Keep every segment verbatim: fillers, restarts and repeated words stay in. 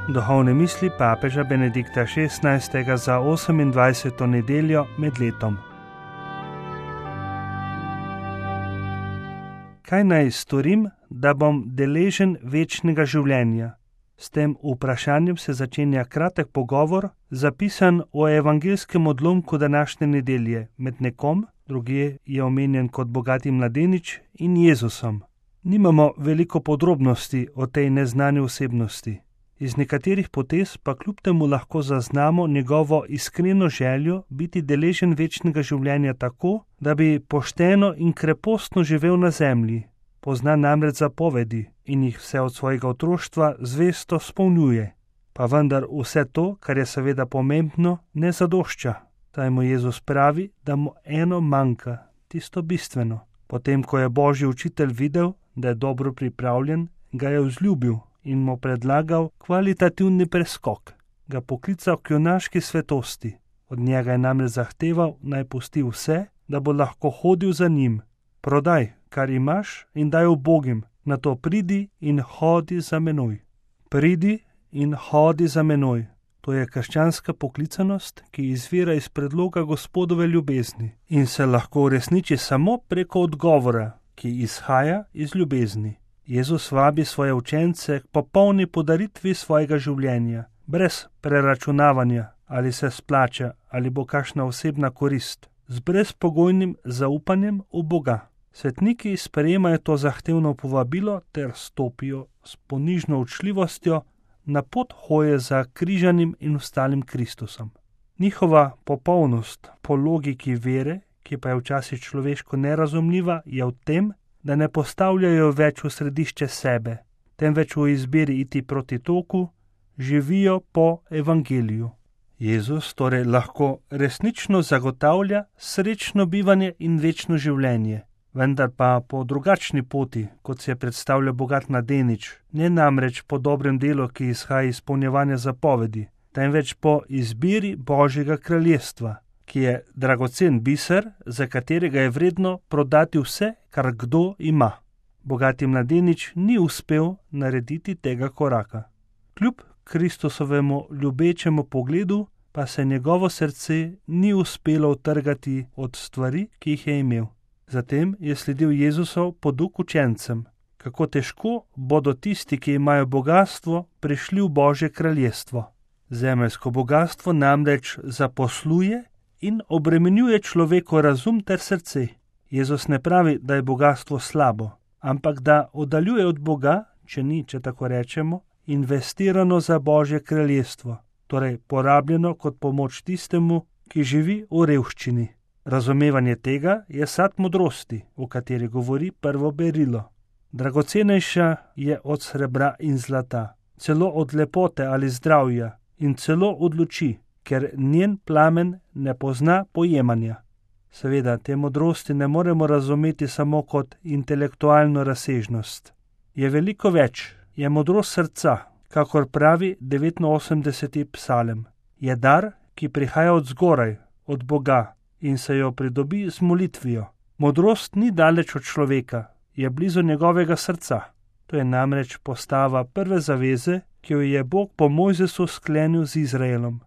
Duhovne misli papeža Benedikta šestnajstega za osemindvajseto nedeljo med letom. Kaj naj storim, da bom deležen večnega življenja? S tem vprašanjem se začenja kratek pogovor, zapisan v evangeljskem odlomku današnje nedelje med nekom, drugje je omenjen kot bogati mladenič, in Jezusom. Nimamo veliko podrobnosti o tej neznani osebnosti. Iz nekaterih potez pa kljub temu lahko zaznamo njegovo iskreno željo biti deležen večnega življenja tako, da bi pošteno in krepostno živel na zemlji. Pozna namreč zapovedi in jih vse od svojega otroštva zvesto spolnjuje. Pa vendar vse to, kar je seveda pomembno, ne zadošča. Saj mu Jezus pravi, da mu eno manjka, tisto bistveno. Potem, ko je Božji učitelj videl, da je dobro pripravljen, ga je vzljubil in mu predlagal kvalitativni preskok, ga poklical k junaški svetosti. Od njega je namreč zahteval, naj pusti vse, da bo lahko hodil za njim. Prodaj, kar imaš, in daj ubogim, nato pridi in hodi za menoj. Pridi in hodi za menoj. To je krščanska poklicanost, ki izvira iz predloga Gospodove ljubezni in se lahko uresniči samo preko odgovora, ki izhaja iz ljubezni. Jezus vabi svoje učence k popolni podaritvi svojega življenja, brez preračunavanja, ali se splača, ali bo kakšna osebna korist, z brezpogojnim zaupanjem v Boga. Svetniki sprejemajo to zahtevno povabilo ter stopijo s ponižno učljivostjo na pot hoje za križanim in ostalim Kristusom. Njihova popolnost po logiki vere, ki pa je včasih človeško nerazumljiva, je v tem, da ne postavljajo več v središče sebe, temveč v izbiri iti proti toku, živijo po evangeliju. Jezus torej lahko resnično zagotavlja srečno bivanje in večno življenje, vendar pa po drugačni poti, kot se je predstavljal bogat mladenič, ne namreč po dobrem delu, ki izhaja iz izpolnjevanja zapovedi, temveč po izbiri Božjega kraljestva, ki je dragocen biser, za katerega je vredno prodati vse, kar kdo ima. Bogati mladenič ni uspel narediti tega koraka. Kljub Kristusovemu ljubečemu pogledu pa se njegovo srce ni uspelo utrgati od stvari, ki jih je imel. Zatem je sledil Jezusov poduk učencem, kako težko bodo tisti, ki imajo bogastvo, prišli v Božje kraljestvo. Zemeljsko bogastvo namreč zaposluje in obremenjuje človekov razum ter srce. Jezus ne pravi, da je bogastvo slabo, ampak da oddaljuje od Boga, če ni, če tako rečemo, investirano za Božje kraljestvo, torej porabljeno kot pomoč tistemu, ki živi v revščini. Razumevanje tega je sad modrosti, o kateri govori prvo berilo. Dragocenejša je od srebra in zlata, celo od lepote ali zdravja in celo od luči, ker njen plamen ne pozna pojemanja. Seveda, te modrosti ne moremo razumeti samo kot intelektualno razsežnost. Je veliko več, je modrost srca, kakor pravi devetinosemdeseti psalem. Je dar, ki prihaja od zgoraj, od Boga, in se jo pridobi z molitvijo. Modrost ni daleč od človeka, je blizu njegovega srca. To je namreč postava prve zaveze, ki jo je Bog po Mojzesu sklenil z Izraelom.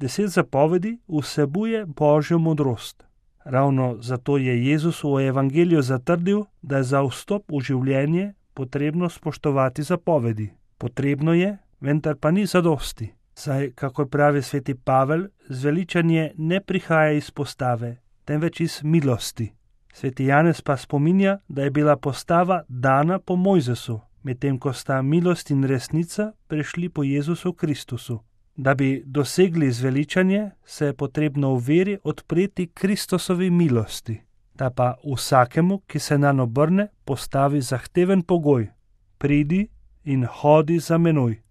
Deset zapovedi vsebuje Božjo modrost. Ravno zato je Jezus v evangeliju zatrdil, da je za vstop v življenje potrebno spoštovati zapovedi. Potrebno je, vendar pa ni zadosti. Saj, kakor pravi sveti Pavel, zveličanje ne prihaja iz postave, temveč iz milosti. Sveti Janez pa spominja, da je bila postava dana po Mojzesu, medtem ko sta milost in resnica prišli po Jezusu Kristusu. Da bi dosegli zveličanje, se je potrebno v veri odpreti Kristusovi milosti. Ta pa vsakemu, ki se nanj obrne, postavi zahteven pogoj: pridi in hodi za menoj.